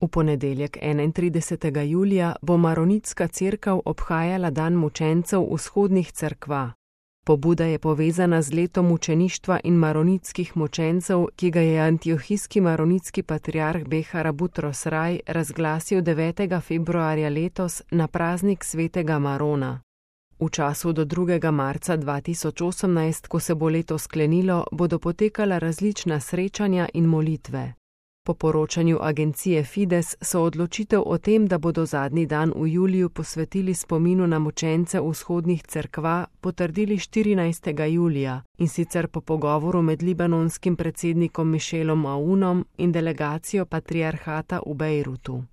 V ponedeljek 31. julija bo Maronitska cerkev obhajala dan mučencev vzhodnih cerkva. Pobuda je povezana z letom mučeništva in maronitskih mučencev, ki ga je antiohijski maronitski patriarh Behar Butros Raj razglasil 9. februarja letos na praznik svetega Marona. V času do 2. marca 2018, ko se bo leto sklenilo, bodo potekala različna srečanja in molitve. Po poročanju agencije Fides so odločitev o tem, da bodo zadnji dan v juliju posvetili spominu na mučence vzhodnih cerkva, potrdili 14. julija, in sicer po pogovoru med libanonskim predsednikom Michelom Aounom in delegacijo patriarhata v Bejrutu.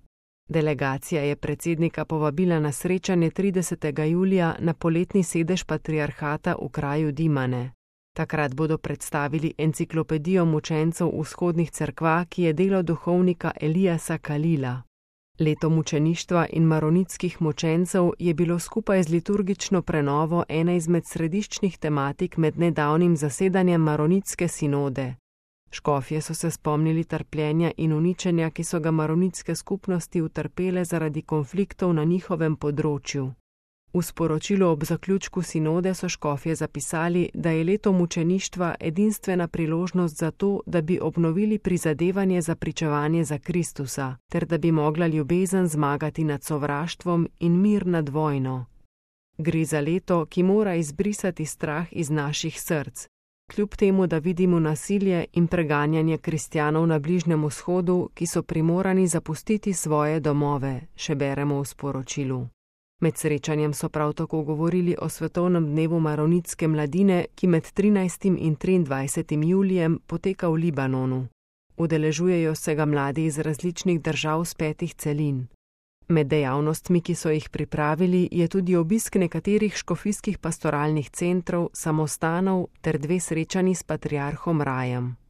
Delegacija je predsednika povabila na srečanje 30. julija na poletni sedež patriarhata v kraju Dimane. Takrat bodo predstavili enciklopedijo mučencev vzhodnih cerkva, ki je delo duhovnika Elijasa Kalila. Leto mučeništva in maronitskih mučencev je bilo skupaj z liturgično prenovo ena izmed središčnih tematik med nedavnim zasedanjem maronitske sinode. Škofje so se spomnili trpljenja in uničenja, ki so ga maronitske skupnosti utrpele zaradi konfliktov na njihovem področju. V sporočilu ob zaključku sinode so škofje zapisali, da je leto mučeništva edinstvena priložnost za to, da bi obnovili prizadevanje za pričevanje za Kristusa, ter da bi mogla ljubezen zmagati nad sovraštvom in mir nad vojno. Gre za leto, ki mora izbrisati strah iz naših src. Kljub temu, da vidimo nasilje in preganjanje kristjanov na Bližnjem vzhodu, ki so primorani zapustiti svoje domove, še beremo v sporočilu. Med srečanjem so prav tako govorili o svetovnem dnevu maronitske mladine, ki med 13. in 23. julijem poteka v Libanonu. Udeležujejo se ga mladi iz različnih držav z 5 celin. Med dejavnostmi, ki so jih pripravili, je tudi obisk nekaterih škofijskih pastoralnih centrov, samostanov ter 2 srečanji s patriarhom Rajem.